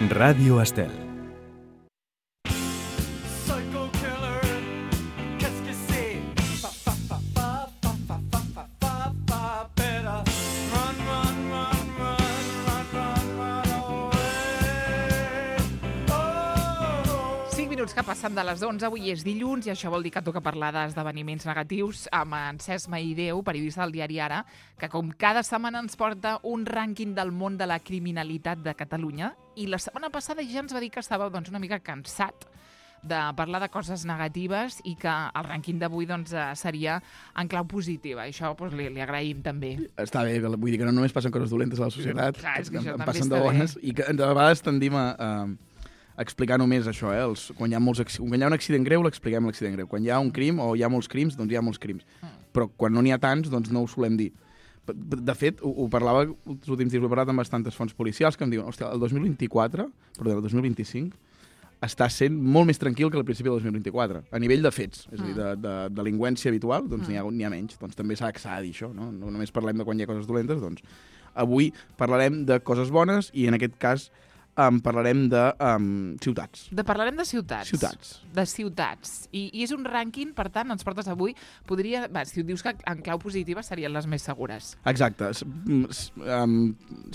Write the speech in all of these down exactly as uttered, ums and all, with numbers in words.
Ràdio Estel. Que passen de les onze, avui és dilluns i això vol dir que toca parlar d'esdeveniments negatius amb en Cesc Maideu, periodista del diari Ara, que com cada setmana ens porta un rànquing del món de la criminalitat de Catalunya i la setmana passada ja ens va dir que estava doncs, una mica cansat de parlar de coses negatives i que el rànquing d'avui doncs, seria en clau positiva. Això doncs, li, li agraïm també. Està bé, vull dir que no només passen coses dolentes a la societat, Clar, és que això en també passen està de bones, bé. i que de vegades tendim a, a explicar només això, eh? Els, quan, hi ha molts, quan hi ha un accident greu, l'expliquem l'accident greu. Quan hi ha un crim o hi ha molts crims, doncs hi ha molts crims. Mm. Però quan no n'hi ha tants, doncs no ho solem dir. De fet, ho, ho parlava els últims dies, ho he parlat amb bastantes fonts policials que em diuen, hòstia, el dos mil vint-i-quatre, perdó, el dos mil vint-i-cinc, està sent molt més tranquil que al principi del dos mil vint-i-quatre, a nivell de fets, és a dir, de, de, de delinqüència habitual, doncs mm. n'hi ha, n'hi ha menys. Doncs també s'ha de dir això, no? No només parlem de quan hi ha coses dolentes, doncs avui parlarem de coses bones i en aquest cas Um, parlarem de um, ciutats. De parlarem de ciutats. Ciutats. De ciutats. I, I és un rànquing, per tant, ens portes avui, podria... Va, si dius que en clau positiva serien les més segures. Exacte. Um,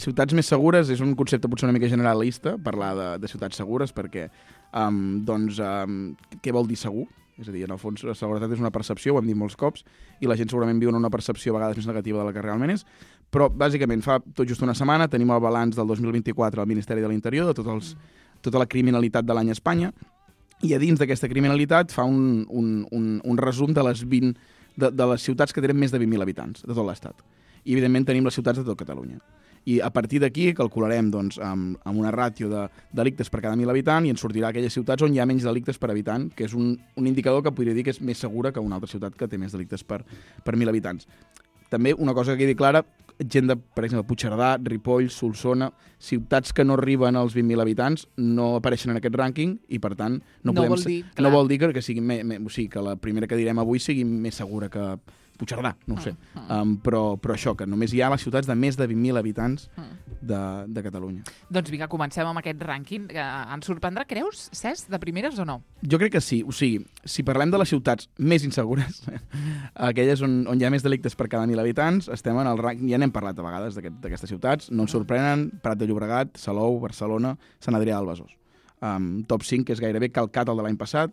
ciutats més segures és un concepte potser una mica generalista, parlar de, de ciutats segures, perquè, um, doncs, um, què vol dir segur? És a dir, en el fons, la seguretat és una percepció, ho hem dit molts cops, i la gent segurament viu en una percepció a vegades més negativa de la que realment és, però, bàsicament, fa tot just una setmana tenim el balanç del dos mil vint-i-quatre al Ministeri de l'Interior, de tots els, tota la criminalitat de l'any a Espanya, i a dins d'aquesta criminalitat fa un, un, un, un resum de les vint de, de les ciutats que tenen més de vint mil habitants, de tot l'Estat. I, evidentment, tenim les ciutats de tot Catalunya. I a partir d'aquí calcularem doncs, amb, amb una ràtio de delictes per cada mil habitants i ens sortirà aquelles ciutats on hi ha menys delictes per habitant, que és un, un indicador que podria dir que és més segura que una altra ciutat que té més delictes per, per mil habitants. També una cosa que quedi clara, gent de, per exemple, Puigcerdà, Ripoll, Solsona, ciutats que no arriben als vint mil habitants no apareixen en aquest rànquing i, per tant, no, no, podem, vol, dir, no vol dir que, que, sigui me, me, o sigui, que la primera que direm avui sigui més segura que Puigcerdà, no ho sé. Uh -huh. um, però, però això, que només hi ha les ciutats de més de vint mil habitants uh -huh. de, de Catalunya. Doncs vinga, comencem amb aquest rànquing. Ens sorprendrà, creus, Cesc, de primeres o no? Jo crec que sí. O sigui, si parlem de les ciutats més insegures, aquelles on, on hi ha més delictes per cada mil habitants, estem en el rànquing, ja n'hem parlat a vegades d'aquestes ciutats, no ens sorprenen, Prat de Llobregat, Salou, Barcelona, Sant Adrià del Besòs. Um, top cinc, que és gairebé calcat el de l'any passat.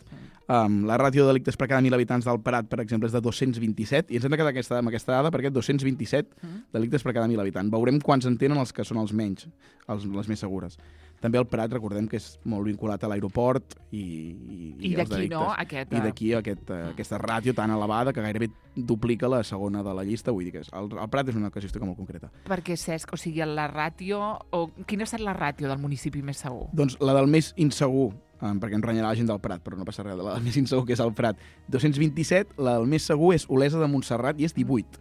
Um, la ràtio de delictes per cada mil habitants del Prat, per exemple, és de dos-cents vint-i-set, i ens hem de quedar aquesta, amb aquesta dada perquè dos-cents vint-i-set delictes per cada mil habitants. Veurem quants en tenen els que són els menys, els, les més segures. També el Prat, recordem que és molt vinculat a l'aeroport i, i, I, i d'aquí, no? Aquest, I d'aquí aquest, uh, aquesta ràtio tan elevada que gairebé duplica la segona de la llista. Vull dir que és, el, el Prat és una casuística molt concreta. Perquè, Cesc, o sigui, la ràtio... O, quina ha estat la ràtio del municipi més segur? Doncs la del més insegur, um, perquè em renyarà la gent del Prat, però no passa res, la del més insegur, que és el Prat. dos-cents vint-i-set, la del més segur és Olesa de Montserrat i és divuit.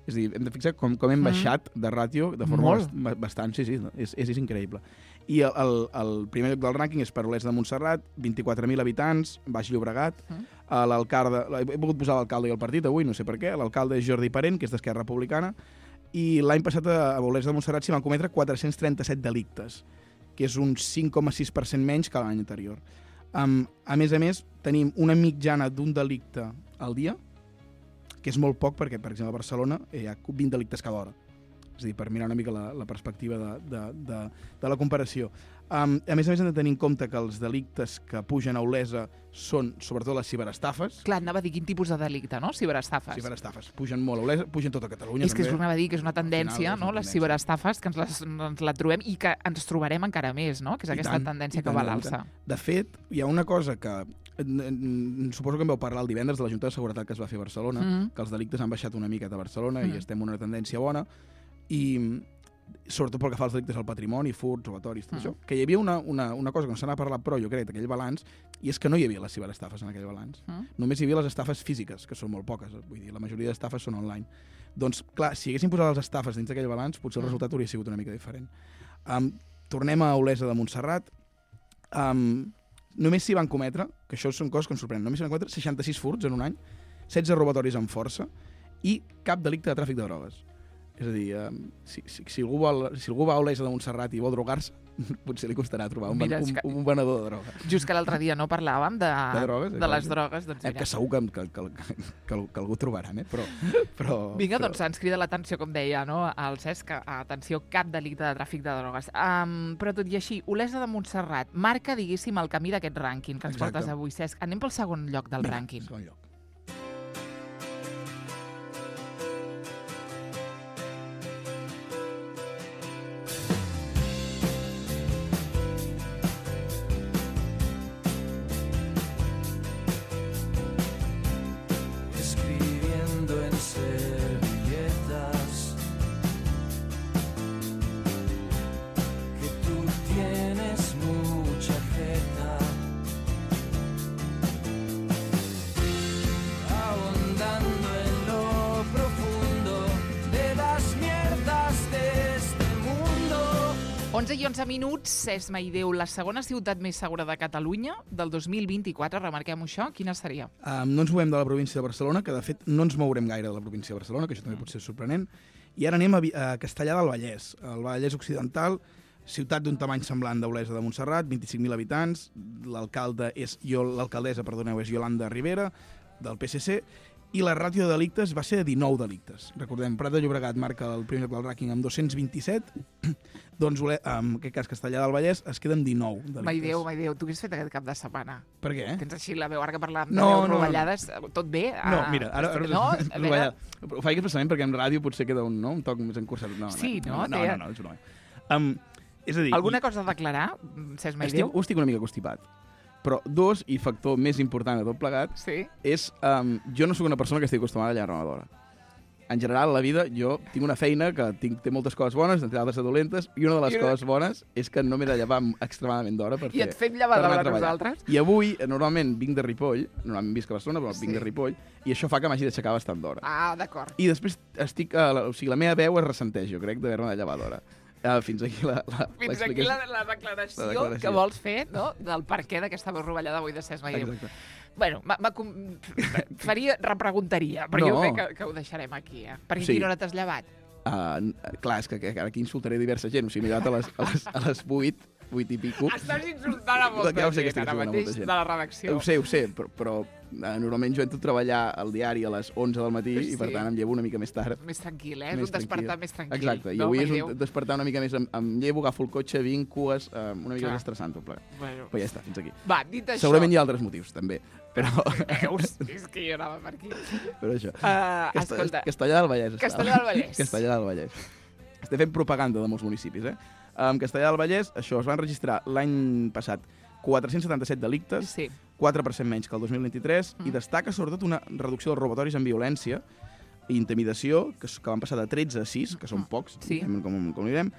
És a dir, hem de fixar com, com hem baixat de ràtio de forma bast, bastant, sí, sí, és, és, és increïble. I el, el, el primer lloc del rànquing és per Olesa de Montserrat, vint-i-quatre mil habitants, Baix Llobregat. Uh. L'alcalde, he volgut posar l'alcalde i el partit avui, no sé per què, l'alcalde és Jordi Parent, que és d'Esquerra Republicana, i l'any passat a Olesa de Montserrat s'hi van cometre quatre-cents trenta-set delictes, que és un cinc coma sis per cent menys que l'any anterior. Um, a més a més, tenim una mitjana d'un delicte al dia, que és molt poc perquè, per exemple, a Barcelona hi ha vint delictes cada hora. És a dir, per mirar una mica la, la perspectiva de, de, de, de la comparació. Um, a més a més, hem de tenir en compte que els delictes que pugen a Olesa són, sobretot, les ciberestafes. Clar, anava a dir quin tipus de delicte, no? Ciberestafes. Ciberestafes. Pugen molt a Olesa, pugen tota Catalunya. És que també. És anava a dir que és una tendència, final, no? Les ciberestafes, que ens, les, ens la trobem i que ens trobarem encara més, no? Que és I aquesta tant, tendència que va a l'alça. De fet, hi ha una cosa que suposo que em vau parlar el divendres de la Junta de Seguretat que es va fer a Barcelona, mm. que els delictes han baixat una mica a Barcelona mm. i estem en una tendència bona, i sobretot pel que fa als delictes al patrimoni, furts, robatoris, tot mm. això, que hi havia una, una, una cosa que no se n'ha parlat prou, jo crec, d'aquell balanç, i és que no hi havia les ciberestafes en aquell balanç. Mm. Només hi havia les estafes físiques, que són molt poques, vull dir, la majoria d'estafes són online. Doncs, clar, si haguéssim posat les estafes dins d'aquell balanç, potser el resultat hauria sigut una mica diferent. Um, tornem a Olesa de Montserrat. Um, només s'hi van cometre, que això són coses que ens sorprenen, només s'hi van cometre seixanta-sis furts en un any, setze robatoris amb força i cap delicte de tràfic de drogues. És a dir, um, si, si, si, algú vol, si algú va a Olesa de Montserrat i vol drogar-se, potser li costarà trobar un, Mira, un, que... un venedor de droga. Just que l'altre dia no parlàvem de, de, drogues, de les drogues. Doncs eh, que segur que, que, que, que, que algú trobaran, eh? Però, però, Vinga, però... doncs ens crida l'atenció, com deia, no? El Cesc, atenció, cap delicte de tràfic de drogues. Um, però tot i així, Olesa de Montserrat marca, diguéssim, el camí d'aquest rànquing que ens Exacte. portes avui, Cesc. Anem pel segon lloc del Vinga, rànquing. segon lloc. onze i onze minuts, Esma i Déu, la segona ciutat més segura de Catalunya del dos mil vint-i-quatre, remarquem això, quina seria? Um, no ens movem de la província de Barcelona, que de fet no ens mourem gaire de la província de Barcelona, que això també pot ser sorprenent, i ara anem a, a Castellar del Vallès, el Vallès Occidental, ciutat d'un tamany semblant d'Olesa de Montserrat, vint-i-cinc mil habitants, l'alcalde és l'alcaldessa, perdoneu, és Yolanda Rivera, del P S C, i la ràtio de delictes va ser de dinou delictes. Recordem, Prat de Llobregat marca el primer lloc del rànquing amb dos-cents vint-i-set, doncs en aquest cas Castellar del Vallès es queden dinou delictes. Mai Déu, mai Déu, tu què has fet aquest cap de setmana? Per què? Tens així la veu, ara que parlàvem no, de veus no, rovellades, tot bé? No, mira, ara... ara no, rovellada. Ho faig expressament perquè en ràdio potser queda un, no, un toc més encursat. No, sí, no? No, no, no, no, és una... Um, és a dir... Alguna cosa a declarar, Cesc Mai Déu? Ho estic una mica constipat. Però dos, i factor més important de tot plegat, sí? és... Um, jo no sóc una persona que estigui acostumada a allargar-me d'hora. En general, a la vida, jo tinc una feina que tinc, té moltes coses bones, entre altres dolentes, i una de les I coses bones és que no m'he de llevar extremadament d'hora per I fer... et fem llevar d'hora a nosaltres? I avui, normalment, vinc de Ripoll, normalment visc a Barcelona, però sí. vinc de Ripoll, i això fa que m'hagi d'aixecar bastant d'hora. Ah, d'acord. I després estic... Uh, la, o sigui, la meva veu es ressenteix, jo crec, d'haver-me de llevar d'hora. Uh, fins aquí la, la Fins aquí la, la, declaració la declaració que vols fer, no?, del perquè d'aquesta veu rovellada avui de Cesc Mai Déu. Exacte. Bueno, va, va, faria, repreguntaria, però no. jo crec que, que ho deixarem aquí, eh? Perquè sí. Quina hora t'has llevat? Uh, clar, és que, que ara aquí insultaré diversa gent, o sigui, m'he llevat a les, a les, a les vuit, vuit i pico. Estàs insultant a molta ja gent, ara mateix, de la redacció. Ho sé, ho sé, però, però uh, normalment jo entro a treballar al diari a les onze del matí sí. i per tant em llevo una mica més tard. Més tranquil, eh? És un despertar més tranquil. Exacte, i no, avui és un despertar una mica més... Em, em llevo, agafo el cotxe, vinc, cues, uh, una mica més estressant tot plegat. Bueno. Però ja està, fins aquí. Va, dit això... Segurament hi ha altres motius, també. Però... Veus? És que jo anava per aquí. Però això. Uh, Casta escolta. Castellar del Vallès. Castellar del Vallès. Castellar del Vallès. Estem fent propaganda de molts municipis, eh? En Castellar del Vallès, això, es van registrar l'any passat quatre-cents setanta-set delictes, sí. quatre per cent menys que el dos mil vint-i-tres, mm. i destaca sobretot una reducció dels robatoris amb violència i intimidació, que, que van passar de tretze a sis, que són pocs, sí. com, com direm,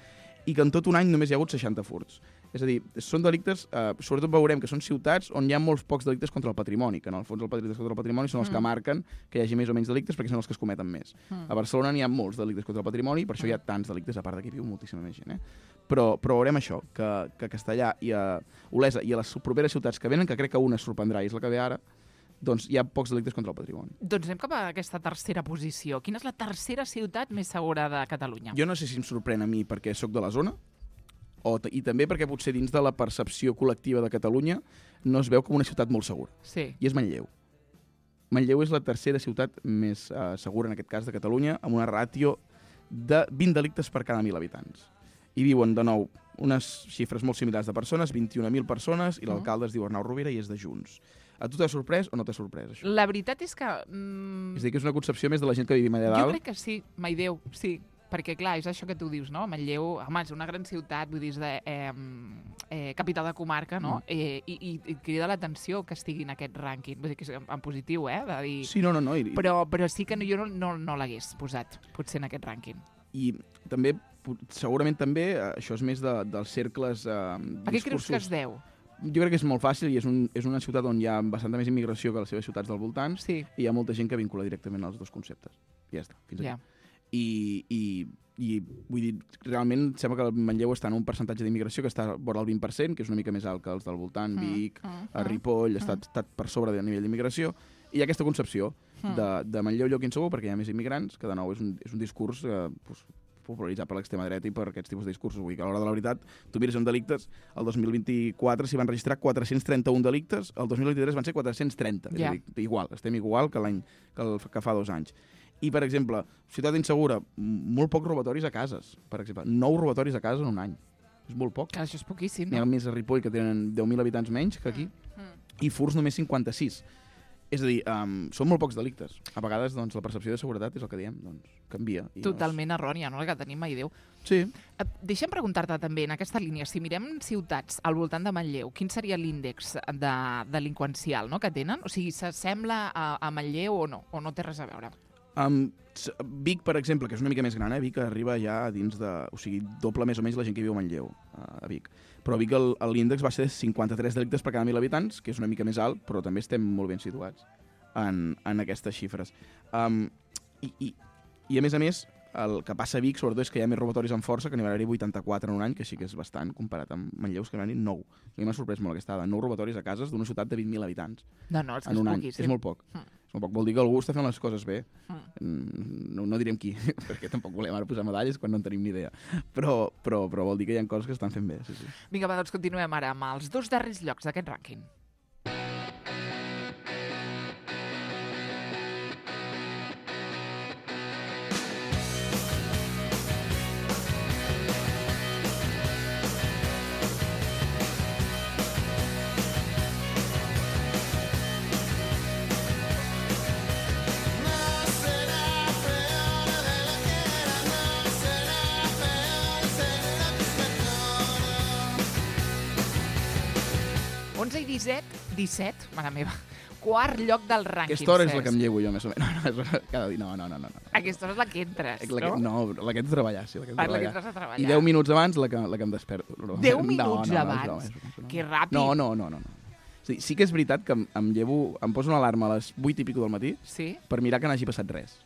i que en tot un any només hi ha hagut seixanta furts. És a dir, són delictes, eh, sobretot veurem que són ciutats on hi ha molts pocs delictes contra el patrimoni, que en el fons els delictes contra el patrimoni són els mm. que marquen que hi hagi més o menys delictes perquè són els que es cometen més. Mm. A Barcelona n'hi ha molts delictes contra el patrimoni, per això hi ha tants delictes, a part que hi viu moltíssima més gent. Eh? Però, però veurem això, que, que Castellar i a Olesa i a les properes ciutats que venen, que crec que una es sorprendrà i és la que ve ara, doncs hi ha pocs delictes contra el patrimoni. Doncs anem cap a aquesta tercera posició. Quina és la tercera ciutat més segura de Catalunya? Jo no sé si em sorprèn a mi perquè sóc de la zona, o i també perquè potser dins de la percepció col·lectiva de Catalunya no es veu com una ciutat molt segura. Sí. I és Manlleu. Manlleu és la tercera ciutat més uh, segura, en aquest cas, de Catalunya, amb una ràtio de vint delictes per cada mil habitants. Hi viuen, de nou, unes xifres molt similars de persones, vint-i-una mil persones, i l'alcalde es diu Arnau Rovira i és de Junts. A tu t'ha sorprès o no t'ha sorprès, això? La veritat és que... Mm... És a dir, que és una concepció més de la gent que vivim allà dalt? Jo crec que sí, Mai Déu, sí. Perquè, clar, és això que tu dius, no? Manlleu, home, és una gran ciutat, vull dir, és de, eh, eh, capital de comarca, no? Mm. Eh, i, i, I crida l'atenció que estigui en aquest rànquing. Vull dir que és en, en positiu, eh? De dir... Sí, no, no, no. I... Però, però sí que no, jo no, no, no l'hagués posat, potser, en aquest rànquing. I també, segurament també, això és més de, dels cercles... Eh, a què creus que es deu? Jo crec que és molt fàcil i és, un, és una ciutat on hi ha bastanta més immigració que les seves ciutats del voltant, sí. I hi ha molta gent que vincula directament els dos conceptes. Ja està, fins aquí. Yeah. I, i, i vull dir, realment sembla que el Manlleu està en un percentatge d'immigració que està vora el vint per cent, que és una mica més alt que els del voltant, mm, Vic, mm, mm, Ripoll, mm. està, està per sobre del nivell d'immigració, i hi ha aquesta concepció mm. de, de Manlleu lloc insegur perquè hi ha més immigrants, que de nou és un, és un discurs eh, pues, popularitzat per l'extrema dreta i per aquests tipus de discursos. Vull dir que a l'hora de la veritat, tu mires en delictes, el dos mil vint-i-quatre s'hi van registrar quatre-cents trenta-un delictes, el dos mil vint-i-tres van ser quatre-cents trenta. Yeah. És a dir, igual, estem igual que l'any que, el, que fa dos anys. I, per exemple, ciutat insegura, molt pocs robatoris a cases, per exemple. Nou robatoris a casa en un any. És molt poc. Que això és poquíssim, no? N'hi ha més a Ripoll, que tenen deu mil habitants menys que aquí, mm. Mm. i furts només cinquanta-sis. És a dir, um, són molt pocs delictes. A vegades, doncs, la percepció de seguretat és el que diem, doncs, canvia. I Totalment doncs... errònia, no?, la que tenim, mai Déu. Sí. Uh, deixa'm preguntar-te també, en aquesta línia, si mirem ciutats al voltant de Manlleu, quin seria l'índex de delinqüencial, no?, que tenen? O sigui, s'assembla a, a Manlleu o no? O no té res a veure? Um, Vic, per exemple, que és una mica més gran, eh? Vic arriba ja dins de... O sigui, doble més o menys la gent que viu a Manlleu, a Vic. Però a Vic l'índex va ser cinquanta-tres delictes per cada mil habitants, que és una mica més alt, però també estem molt ben situats en, en aquestes xifres. Um, i, i, I a més a més, el que passa a Vic, sobretot, és que hi ha més robatoris amb força, que n'hi va haver vuitanta-quatre en un any, que sí que és bastant, comparat amb Manlleu, que n'hi va haver nou. A mi m'ha sorprès molt aquesta dada. Nou robatoris a cases d'una ciutat de vint mil habitants. No, no, és que en és un any. poquíssim. És molt poc. Mm. És molt poc. Vol dir que algú està fent les coses bé. Mm. No, no direm qui, perquè tampoc volem ara posar medalles quan no en tenim ni idea. Però, però, però vol dir que hi ha coses que estan fent bé. Sí, sí. Vinga, va, doncs continuem ara amb els dos darrers llocs d'aquest rànquing. onze i disset, disset, mare meva, quart lloc del rànquing. Aquesta hora és la que em llevo jo, més o menys. No, no, cada dia. No, no, no, no. Aquesta hora és la que entres, la que, no? No, la que entro a treballar, sí. La que, ah, la que entres a treballar. I deu minuts abans la que, la que em desperto. Deu minuts no, no, abans? No, no, no, no. Que ràpid. No, no, no, no. no. Sí, sí que és veritat que em, em llevo, em poso una alarma a les vuit i pico del matí sí? per mirar que n'hagi passat res.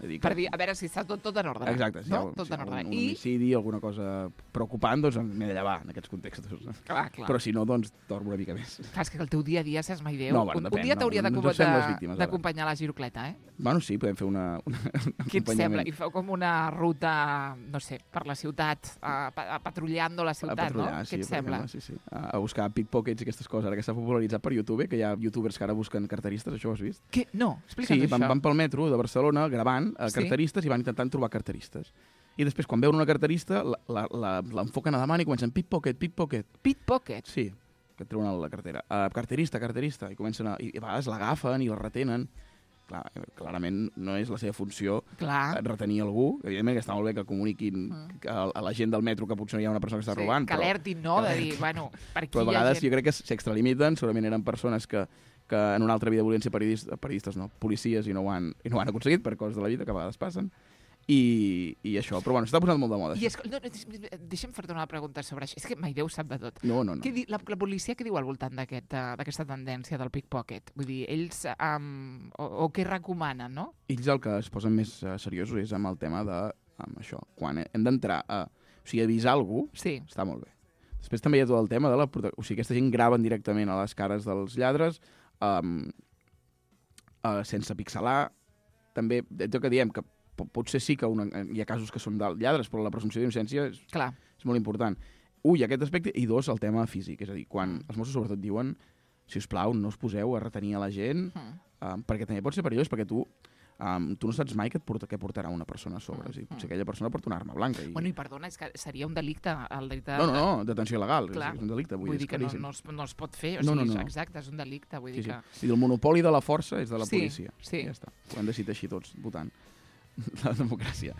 Dir que... Per dir, a veure si està tot, tot en ordre. Exacte, si no? hi ha, tot si en ordre. un, un I... homicidi, alguna cosa preocupant, doncs m'he de llevar en aquests contextos. Clar, clar. Però si no, doncs dormo una mica més. Clar, és que el teu dia a dia, saps mai Déu. No, bueno, un, depèn, un dia t'hauria no, no, d'acompanyar la girocleta, eh? Bueno, sí, podem fer una, una Què et sembla? I feu com una ruta, no sé, per la ciutat, a, a patrullando la ciutat, no? Sí, Què et sembla? Exemple, sí, sí. A, a buscar pickpockets i aquestes coses, ara que s'ha popularitzat per YouTube, que hi ha youtubers que ara busquen carteristes, això ho has vist? Què? No, explica'ns sí, això. Sí, van, van pel metro de Barcelona gravant a carteristes sí? I van intentant trobar carteristes. I després, quan veuen una carterista, l'enfoquen a davant i comencen pickpocket, pickpocket. Pickpocket? Sí, que et treuen la cartera. Uh, carterista, carterista. I comencen a... I a vegades l'agafen i la retenen. Clar, clarament no és la seva funció Clar. retenir algú. Evidentment que està molt bé que comuniquin mm. a, a la gent del metro que potser no hi ha una persona que està sí, robant. Que alertin, no? De dir, bueno, per aquí però a vegades gent... jo crec que s'extralimiten, segurament eren persones que, que en una altra vida volien ser periodistes, periodistes no, policies i no ho han, i no ho han aconseguit per coses de la vida que a vegades passen. I, i això, però bueno, s'està posant molt de moda. I és, no, deixa'm fer-te una pregunta sobre això. És que mai Déu sap de tot. No, no, no. Què di, la, la policia què diu al voltant d'aquesta aquest, tendència del pickpocket? Vull dir, ells um, o, o què recomanen, no? Ells el que es posen més uh, seriosos és amb el tema de amb això. Quan hem d'entrar a... O sigui, avisar algú, sí. Està molt bé. Després també hi ha tot el tema de la... O sigui, aquesta gent graven directament a les cares dels lladres um, uh, sense pixelar. També, és el que diem, que potser sí que una, hi ha casos que són de lladres, però la presumpció d'innocència és, és molt important. Un, aquest aspecte, i dos, el tema físic. És a dir, quan els Mossos sobretot diuen, si us plau, no us poseu a retenir a la gent, mm. um, perquè també pot ser perillós, perquè tu, um, tu no saps mai què, et porta, què portarà una persona a sobre. Mm. Si potser aquella persona porta una arma blanca. I... Bueno, i perdona, és que seria un delicte... El delicte no, no, no, detenció il·legal. Clar. És, és un delicte. Vull, vull dir que no, no, es, no es pot fer. O no, sigui, no, no. Exacte, és un delicte. Vull sí, dir sí. que... I el monopoli de la força és de la sí, policia. Sí. Ja està. Ho hem decidit així tots, votant. La democràcia.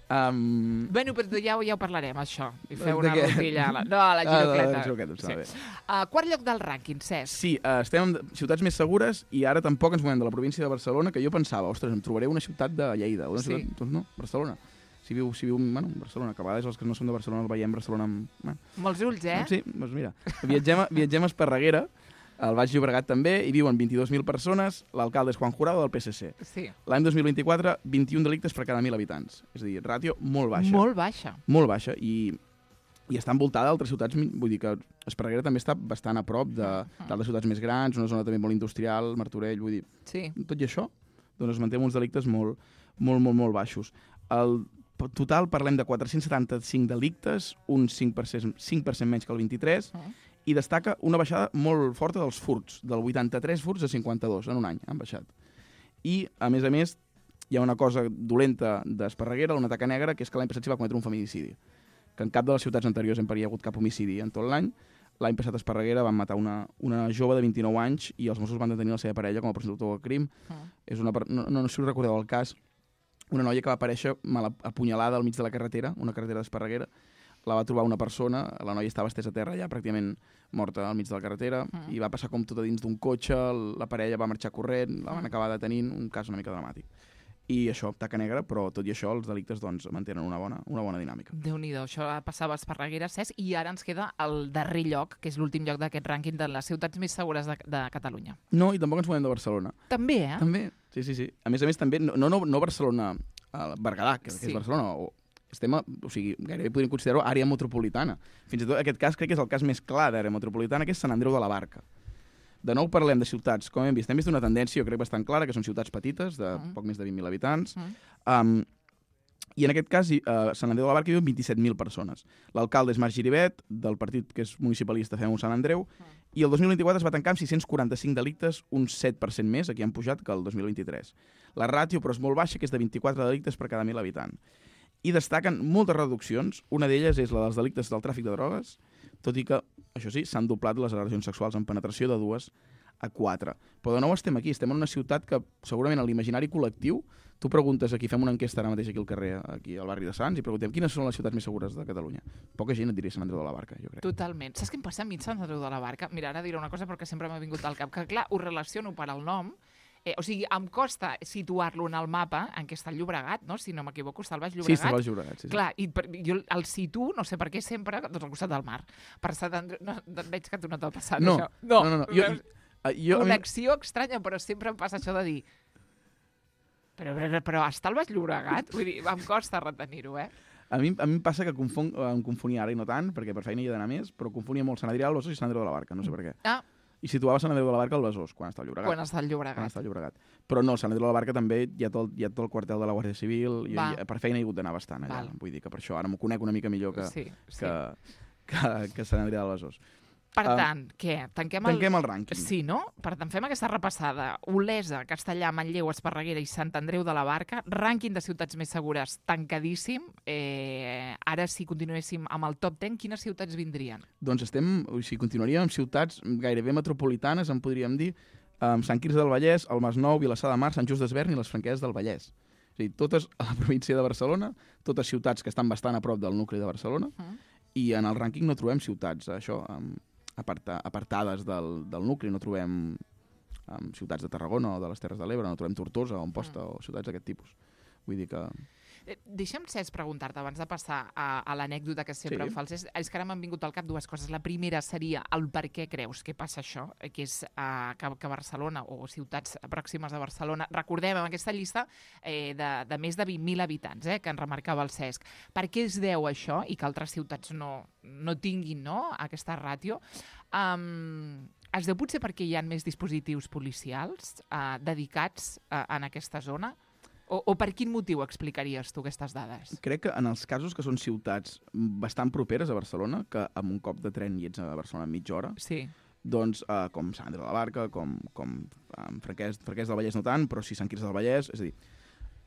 Um... Bueno, però ja, ja ho parlarem, això. I feu una rutilla. La... No, a la girocleta. Ah, la girocleta, sí. Bé. Uh, quart lloc del rànquing, Cesc. Sí, uh, estem en ciutats més segures i ara tampoc ens movem de la província de Barcelona, que jo pensava, ostres, em trobaré una ciutat de Lleida. Una sí. ciutat... Doncs no, Barcelona. Si viu, si viu bueno, Barcelona, que a vegades els que no són de Barcelona el veiem Barcelona amb... Bueno. Molts ulls, eh? Sí, doncs mira. Viatgem a, viatgem a Esparreguera, al Baix Llobregat també, hi viuen vint-i-dues mil persones, l'alcalde és Juan Jurado del P S C. Sí. L'any dos mil vint-i-quatre, vint-i-un delictes per cada mil habitants. És a dir, ràtio molt baixa. Molt baixa. Molt baixa, i, i està envoltada d'altres ciutats, vull dir que Esparreguera també està bastant a prop d'altres uh-huh. ciutats més grans, una zona també molt industrial, Martorell, vull dir... Sí. Tot i això, doncs es manté uns delictes molt, molt, molt, molt baixos. El total parlem de quatre-cents setanta-cinc delictes, un cinc per cent, cinc per cent menys que el vint-i-tres, uh. i destaca una baixada molt forta dels furts, del vuitanta-tres furts a cinquanta-dos en un any han baixat. I, a més a més, hi ha una cosa dolenta d'Esparreguera, una taca negra, que és que l'any passat s'hi va cometre un feminicidi, que en cap de les ciutats anteriors en hi ha hagut cap homicidi en tot l'any. L'any passat a Esparreguera van matar una, una jove de vint-i-nou anys i els Mossos van detenir la seva parella com a presumptor del crim. Uh. És una, no, no, no sé si us recordeu el cas, una noia que va aparèixer mal apunyalada al mig de la carretera, una carretera d'Esparreguera. La va trobar una persona, la noia estava estesa a terra ja pràcticament morta al mig de la carretera, uh. i va passar com tot a dins d'un cotxe, la parella va marxar corrent, la van acabar detenint, un cas una mica dramàtic. I això, taca negra, però tot i això els delictes doncs, mantenen una bona, una bona dinàmica. Déu-n'hi-do, això passava a Esparreguera, Cesc, i ara ens queda el darrer lloc, que és l'últim lloc d'aquest rànquing de les ciutats més segures de, de Catalunya. No, i tampoc ens podem de Barcelona. També, eh? També, sí, sí, sí. A més a més, també, no, no, no Barcelona, el Berguedà, que, sí. que és Barcelona, o, estem a, o sigui, gairebé podríem considerar-ho àrea metropolitana. Fins i tot aquest cas crec que és el cas més clar d'àrea metropolitana, que és Sant Andreu de la Barca. De nou parlem de ciutats, com hem vist, hem vist una tendència, jo crec, bastant clara, que són ciutats petites, de mm. poc més de vint mil habitants, mm. um, i en aquest cas, uh, Sant Andreu de la Barca hi viuen vint-i-set mil persones. L'alcalde és Marc Giribet, del partit que és municipalista Fem-ho Sant Andreu, mm. i el dos mil vint-i-quatre es va tancar amb sis-cents quaranta-cinc delictes, un set per cent més, aquí han pujat que el dos mil vint-i-tres. La ràtio, però, és molt baixa, que és de vint-i-quatre delictes per cada mil habitants. I destaquen moltes reduccions, una d'elles és la dels delictes del tràfic de drogues, tot i que, això sí, s'han doblat les agressions sexuals en penetració de dues a quatre. Però de nou estem aquí, estem en una ciutat que segurament en l'imaginari col·lectiu, tu preguntes aquí, fem una enquesta ara mateix aquí al carrer, aquí al barri de Sants, i preguntem quines són les ciutats més segures de Catalunya. Poca gent et diria Sant Andreu de la Barca, jo crec. Totalment. Saps què em passa a mi Sant Andreu de la Barca? Mira, ara diré una cosa perquè sempre m'ha vingut al cap, que clar, ho relaciono per al nom. Eh, o sigui, em costa situar-lo en el mapa en què està el Llobregat, no? Si no m'equivoco, està al Baix Llobregat. Sí, està al Baix Llobregat, sí. Clar, i per, jo el situo, no sé per què, sempre doncs, al costat del mar. Per Sant Andreu... No, veig que a tu no t'ha passat, no, això. No, no, no. no. Jo, jo, Connexió mi... estranya, però sempre em passa això de dir... Però, però, però està al Baix Llobregat? Vull dir, em costa retenir-ho, eh? A mi, a mi em passa que confon, em confonia ara i no tant, perquè per feina hi he d'anar més, però confonia molt Sant Adrià del Besòs i Sant Andreu de la Barca, no sé per què. Ah, i situava Sant Andreu de la Barca al Besòs, quan està al Llobregat. Quan està al Llobregat. Quan està al Llobregat. Però no, Sant Andreu de la Barca també hi ha tot, hi ha tot el quartel de la Guàrdia Civil, i, i per feina he hagut d'anar bastant allà. Val. Vull dir que per això ara m'ho conec una mica millor que, sí, sí. que, que, que Sant Andreu de Besòs. Per tant, uh, què? Tanquem el... Tanquem el rànquing. Sí, no? Per tant, fem aquesta repassada. Olesa, Castellà, Manlleu, Esparreguera i Sant Andreu de la Barca. Rànquing de ciutats més segures tancadíssim. Eh, ara, si continuéssim amb el top deu, quines ciutats vindrien? Doncs estem, o sigui, continuaríem amb ciutats gairebé metropolitanes, en podríem dir, amb Sant Quirze del Vallès, el Masnou, Vilassar de Mar, Sant Just Desvern i les Franqueses del Vallès. És a dir, totes a la província de Barcelona, totes ciutats que estan bastant a prop del nucli de Barcelona, uh-huh. i en el rànquing no trobem ciutats, això... Amb Aparta, apartades del, del nucli, no trobem um, ciutats de Tarragona o de les Terres de l'Ebre, no trobem Tortosa o Amposta mm. o ciutats d'aquest tipus. Vull dir que... Eh, deixa'm, Cesc, preguntar-te, abans de passar a, a l'anècdota que sempre sí. em fals, és, és que ara m'han vingut al cap dues coses. La primera seria el per què creus que passa això, que és uh, que, que Barcelona o ciutats pròximes a Barcelona, recordem en aquesta llista eh, de, de més de vint mil habitants, eh, que en remarcava el Cesc. Per què es deu això i que altres ciutats no, no tinguin, no, aquesta ràtio? Um, es deu potser perquè hi ha més dispositius policials uh, dedicats uh, en aquesta zona? O, o per quin motiu explicaries tu aquestes dades? Crec que en els casos que són ciutats bastant properes a Barcelona, que amb un cop de tren hi ets a Barcelona en mitja hora, sí. doncs uh, com Sant Andreu de la Barca, com, com um, Franquès, Franquès del Vallès no tant, però sí Sant Quirze del Vallès, és a dir,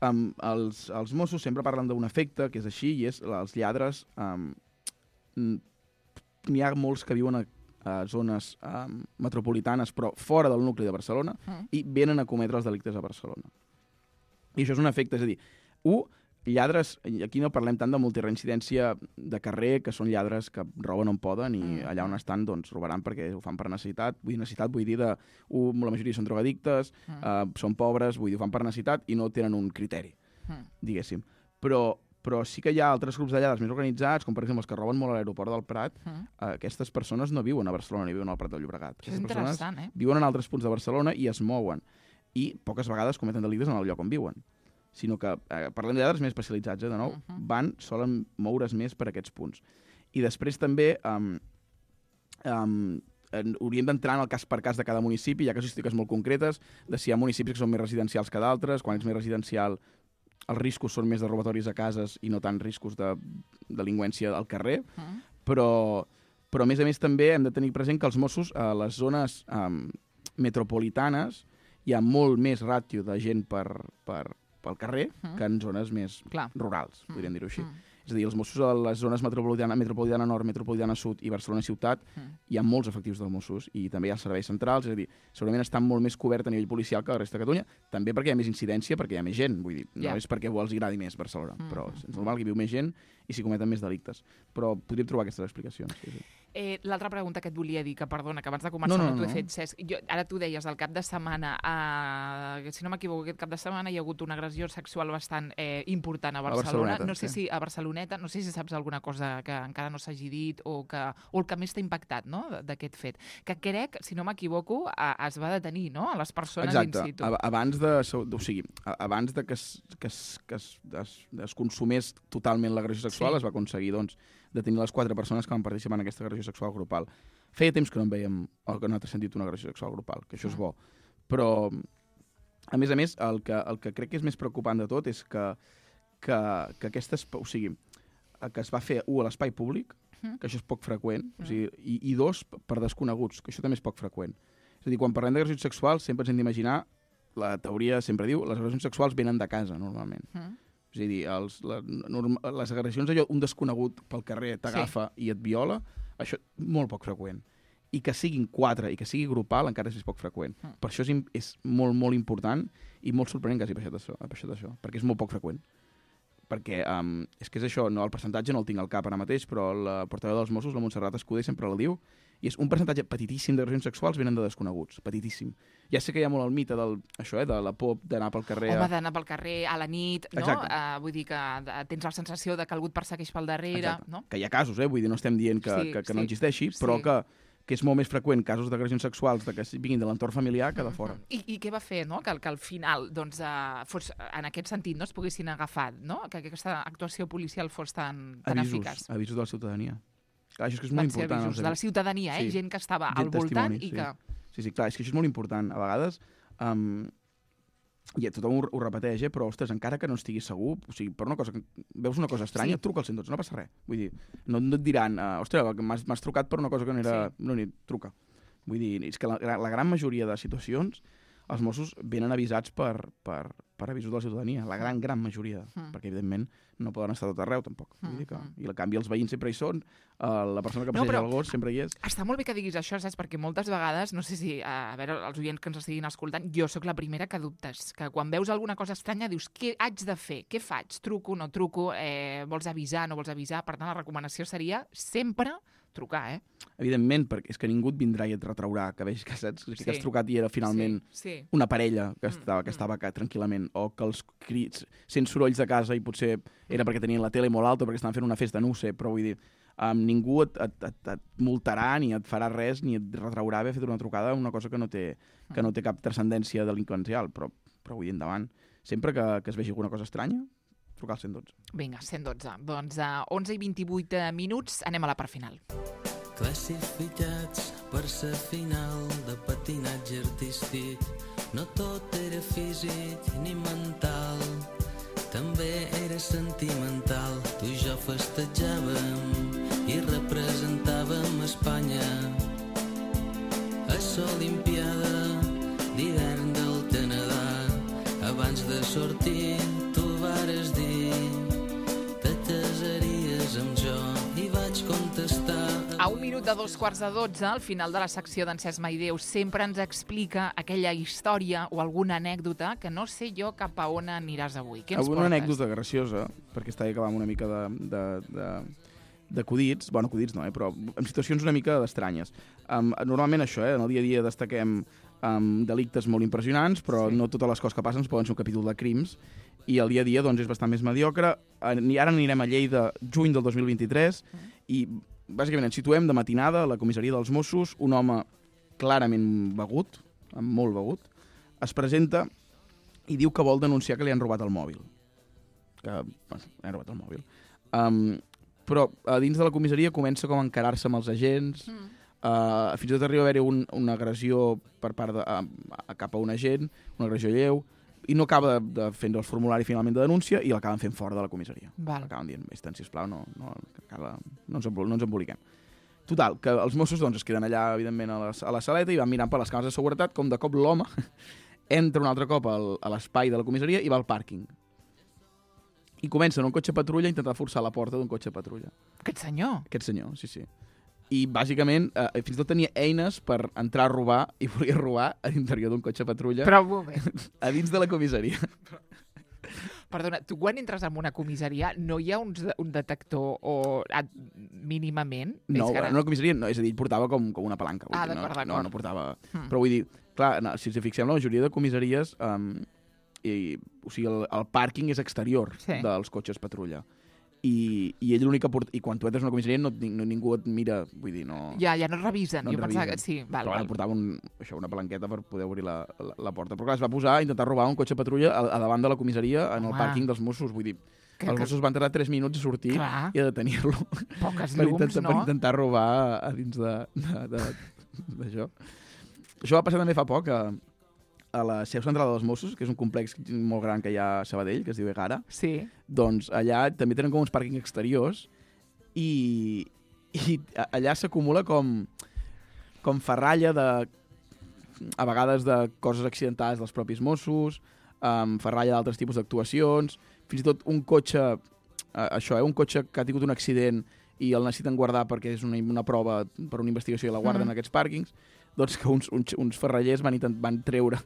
um, els, els Mossos sempre parlen d'un efecte que és així, i és els lladres, um, n'hi ha molts que viuen a a zones um, metropolitanes, però fora del nucli de Barcelona, mm. i venen a cometre els delictes a Barcelona. I això és un efecte, és a dir, un, lladres, aquí no parlem tant de multireincidència de carrer, que són lladres que roben on poden i mm. allà on estan doncs robaran perquè ho fan per necessitat. Vull dir, necessitat vull dir de, un, la majoria són drogadictes, mm. uh, són pobres, vull dir, ho fan per necessitat i no tenen un criteri, mm. diguéssim. Però però sí que hi ha altres grups de lladres més organitzats, com per exemple els que roben molt a l'aeroport del Prat. Mm. Uh, aquestes persones no viuen a Barcelona ni viuen al Prat del Llobregat. Això és interessant, eh? Viuen en altres punts de Barcelona i es mouen. I poques vegades cometen delictes en el lloc on viuen. Sinó que, eh, parlem de lladres més especialitzats, eh, de nou, uh-huh. van, solen moure's més per aquests punts. I després també um, um, hauríem d'entrar en el cas per cas de cada municipi. Hi ha casuístiques molt concretes de si hi ha municipis que són més residencials que d'altres. Quan ets més residencial els riscos són més de robatoris a cases i no tant riscos de delinqüència al carrer, Mm. però, però a més a més també hem de tenir present que els Mossos a les zones um, metropolitanes hi ha molt més ràtio de gent per, per, pel carrer Mm. que en zones més Clar. rurals, Mm. podríem dir-ho així. Mm. És a dir, els Mossos a les zones metropolitana, metropolitana nord, metropolitana sud i Barcelona ciutat Mm. hi ha molts efectius dels Mossos i també hi ha serveis centrals, és a dir, segurament estan molt més cobert a nivell policial que la resta de Catalunya, també perquè hi ha més incidència, perquè hi ha més gent, vull dir, no Ja. és perquè els agradi més Barcelona, Mm, però mm, és normal que hi viu més gent i s'hi cometen més delictes. Però podríem trobar aquestes explicacions. Sí, sí. Eh, L'altra pregunta que et volia dir, que perdona, que abans de començar No, no, no, no t'ho no. he fet, Cesc. Jo, ara tu deies, el cap de setmana, eh, si no m'equivoco, aquest cap de setmana hi ha hagut una agressió sexual bastant eh, important a Barcelona. Barceloneta, no sé sí. si a Barceloneta, no sé si saps alguna cosa que encara no s'hagi dit o, que, o el que més t'ha impactat, no?, d'aquest fet. Que crec, si no m'equivoco, a- es va detenir, no?, a les persones Exacte. in situ. Ab- Abans de, o sigui, a- abans de que es, que es, que es, es, es consumés totalment l'agressió sexual, Sí. es va aconseguir, doncs, detenir les quatre persones que van participar en aquesta agressió sexual grupal. Feia temps que no en veiem, o que no ha sentit una agressió sexual grupal, que això és Mm. bo. Però, a més a més, el que, el que crec que és més preocupant de tot és que, que, que aquestes... O sigui, que es va fer, un, a l'espai públic, Mm. que això és poc freqüent, o sigui, i, i dos, per desconeguts, que això també és poc freqüent. És a dir, quan parlem d'agressions sexuals, sempre ens hem d'imaginar, la teoria sempre diu, les agressions sexuals venen de casa, normalment. Mm. És a dir, els, la, norma, les agressions, allò, un desconegut pel carrer t'agafa sí. i et viola, això molt poc freqüent. I que siguin quatre i que sigui grupal encara és més poc freqüent. Mm. Per això és, im- és molt, molt important i molt sorprenent que hagi baixat això, ha baixat això, perquè és molt poc freqüent. Perquè um, és que és això, no, el percentatge no el tinc al cap ara mateix, però la portaveu dels Mossos, la Montserrat Escudé, sempre la diu, i és un percentatge petitíssim d'agressions sexuals venen de desconeguts, petitíssim. Ja sé que hi ha molt el mite del, això, eh, de la por d'anar pel carrer... Home, d'anar pel carrer a la nit, no? Exacte. Uh, vull dir que uh, tens la sensació de que algú et persegueix pel darrere, Exacte. no? Que hi ha casos, eh? Vull dir, no estem dient que, Sí, que, que sí, no existeixi, sí. però que, que és molt més freqüent casos d'agressions sexuals de que vinguin de l'entorn familiar que de fora. I, I què va fer, no?, que, que al final, doncs, uh, fos, en aquest sentit, no es poguessin agafar, no?, que aquesta actuació policial fos tan, tan Avisos, eficaç. avisos de la ciutadania. Clar, això és que és Van molt ser important. avisos els de la ciutadania, eh? Sí. Gent que estava Gent al voltant testimonis, i sí. que... Sí, sí, clar, és que això és molt important. A vegades, um, i tothom ho, ho repeteix, eh? Però, ostres, encara que no estiguis segur, o sigui, per una cosa que veus una cosa estranya, Sí. truca al cent i dotze, no passa res. Vull dir, no, no et diran, uh, ostres, m'has m'has trucat per una cosa que no era... Sí. No, ni truca. Vull dir, és que la, la gran majoria de situacions els Mossos venen avisats per, per, per avisos de la ciutadania, la gran, gran majoria, Mm. perquè, evidentment, no poden estar a tot arreu, tampoc. Vull dir que, Mm, I, en canvi, els veïns sempre hi són, uh, la persona que No, passeja però- el gos sempre hi és. Està molt bé que diguis això, saps? Perquè moltes vegades, no sé si, a veure, els oients que ens estiguin escoltant, jo sóc la primera que dubtes, que quan veus alguna cosa estranya dius, què haig de fer? Què faig? Truco, no truco? Eh, vols avisar, no vols avisar? Per tant, la recomanació seria sempre trucar, eh? Evidentment, perquè és que ningú et vindrà i et retraurà que veig que, saps, que Sí. has trucat i era finalment Sí, sí. una parella que Mm, estava, que mm. estava acá tranquil·lament, o que els crits, sent sorolls de casa i potser era perquè tenien la tele molt alta o perquè estaven fent una festa, no ho sé, però vull dir, um, ningú et, et, et, et multarà ni et farà res ni et retraurà haver fet una trucada una cosa que no té, que no té cap transcendència delinqüencial, però, però vull dir, endavant. Sempre que, que es vegi alguna cosa estranya, trucar al cent i dotze. Vinga, cent dotze. Doncs a onze i vint-i-vuit minuts anem a la part final. Classificats per ser final de patinatge artístic. No tot era físic ni mental, també era sentimental. Tu i jo festejàvem i representàvem Espanya a l'Olimpiada d'hivern del Canadà. Abans de sortir tu vares dir te casaries amb jo i vaig contestar. A un minut de dos quarts de dotze, al final de la secció d'en Cesc Maideu, sempre ens explica aquella història o alguna anècdota que no sé jo cap a on aniràs avui. Què ens Alguna portes? anècdota graciosa, perquè està acabant una mica de, de, de, d'acudits, bueno, acudits no, eh, però en situacions una mica estranyes. Um, normalment això, eh, en el dia a dia destaquem um, delictes molt impressionants, però Sí. no totes les coses que passen poden ser un capítol de crims, i el dia a dia doncs, és bastant més mediocre. I ara anirem a Lleida, juny del dos mil vint-i-tres, i bàsicament ens situem de matinada a la comissaria dels Mossos, un home clarament begut, molt begut, es presenta i diu que vol denunciar que li han robat el mòbil. Que, bueno, li han robat el mòbil. Um, però a dins de la comissaria comença com a encarar-se amb els agents, Mm. uh, fins i tot arriba a haver-hi un, una agressió per part de, uh, cap a un agent, una agressió lleu, i no acaba de, de fer el formulari finalment de denúncia i l'acaben fent fora de la comissaria. Val. L'acaben dient, vés-te'n, sisplau, no, no, no, no, ens, no ens emboliquem. Total, que els Mossos doncs, es queden allà, evidentment, a la, a la saleta i van mirant per les càmeres de seguretat com de cop l'home entra un altre cop al, a l'espai de la comissaria i va al pàrquing. I comença en un cotxe patrulla a intentar forçar la porta d'un cotxe patrulla. Aquest senyor? Aquest senyor, sí, sí. I, bàsicament, eh, fins i tot tenia eines per entrar a robar i volia robar a l'interior d'un cotxe patrulla Però un moment. a dins de la comissaria. Perdona, tu quan entres en una comissaria no hi ha un, un detector o a, mínimament? No, és en una comissaria no, és a dir, ell portava com, com una palanca. Ah, dir, d'acord, no, d'acord. no, no portava... Hmm. Però vull dir, clar, no, si ens fixem, la majoria de comissaries, um, i, o sigui, el, el pàrquing és exterior Sí. dels cotxes patrulla. I, i ell l'únic que porta... I quan tu entres a una comissaria no, no, ningú et mira, vull dir, no... Ja, ja no es revisen. No et jo pensava que revisen. sí. Val, Però val. bueno, portava un, això, una palanqueta per poder obrir la, la, la porta. Però clar, es va posar a intentar robar un cotxe patrulla a, a davant de la comissaria en el Home. pàrquing dels Mossos. Vull dir, Que- els que- Mossos van tardar tres minuts a sortir Clar. i a detenir-lo. Poques per, llums, intentar, no? per intentar robar a dins de- de- de- d'això. Això va passar també fa poc a, a la seu central dels Mossos, que és un complex molt gran que hi ha a Sabadell, que es diu Egara. Sí. Doncs allà també tenen com uns pàrquings exteriors i, i a- allà s'acumula com, com ferralla de, a vegades de coses accidentades dels propis Mossos, um, ferralla d'altres tipus d'actuacions, fins i tot un cotxe, uh, això, eh, un cotxe que ha tingut un accident i el necessiten guardar perquè és una, una prova per una investigació i la guarden Mm. en aquests pàrquings, doncs que uns, uns, uns ferrallers van, intent, van treure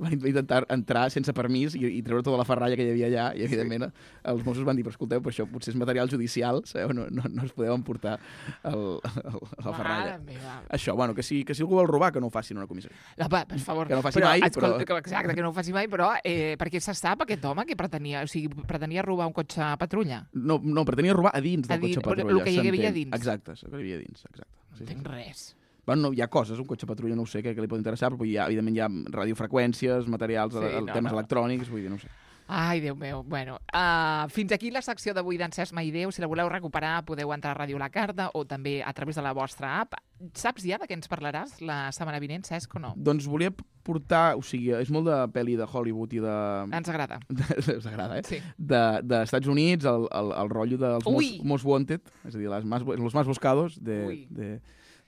van intentar entrar sense permís i, i treure tota la ferralla que hi havia allà i evidentment els Mossos van dir, però escolteu, però això potser és material judicial, sabeu? No, no, no es podeu emportar el, el, la ferralla. Mare meva. Això, bueno, que si, que si algú vol robar, que no ho faci en una comissaria. La, va, per favor. Que no ho faci però, mai, escolta, però- que- Exacte, que no ho faci mai, però eh, perquè se sap aquest home que pretenia, o sigui, pretenia robar un cotxe a patrulla? No, no, pretenia robar a dins del A dins, cotxe el patrulla. que hi havia s'entén. dins. Exacte, el que hi havia dins, exacte. No Sí, sí. entenc res. Bueno, no, hi ha coses, un cotxe patrulla no ho sé, que, que li pot interessar, però hi ha, evidentment hi ha radiofreqüències, materials, Sí, sí, el, no, temes no. electrònics, vull dir, no ho sé. Ai, Déu meu. Bueno, uh, fins aquí la secció d'avui d'en Cesc Maideu. Si la voleu recuperar, podeu entrar a Ràdio La Carta o també a través de la vostra app. Saps ja de què ens parlaràs la setmana vinent, Cesc, o no? Doncs volia portar, o sigui, és molt de pel·li de Hollywood i de... Ens agrada. Us agrada, eh? Sí. De, de Estats Units, el, el, el rotllo dels Ui! most, most Wanted, és a dir, les más, los más buscados de... Ui. de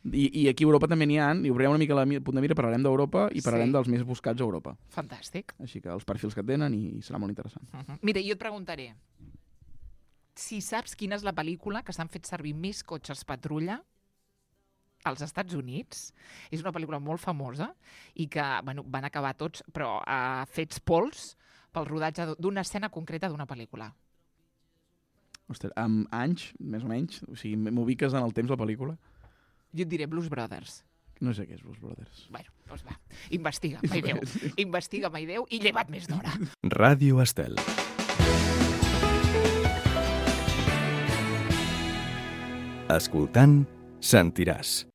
i, I aquí a Europa també n'hi ha, i obrirem una mica la mi- punt de mira, parlarem d'Europa i parlarem Sí. dels més buscats a Europa. Fantàstic. Així que els perfils que tenen i, i serà molt interessant. Uh -huh. Mira, jo et preguntaré si saps quina és la pel·lícula que s'han fet servir més cotxes patrulla als Estats Units. És una pel·lícula molt famosa i que bueno, van acabar tots, però uh, fets pols pel rodatge d'una escena concreta d'una pel·lícula. Ostres, amb anys, més o menys, o sigui, m'ubiques en el temps la pel·lícula? Jo et diré Blues Brothers. No sé què és Blues Brothers. Bueno, doncs va, investiga, Maideu. Investiga, Maideu, i lleva't més d'hora. Ràdio Estel. Escoltant, sentiràs.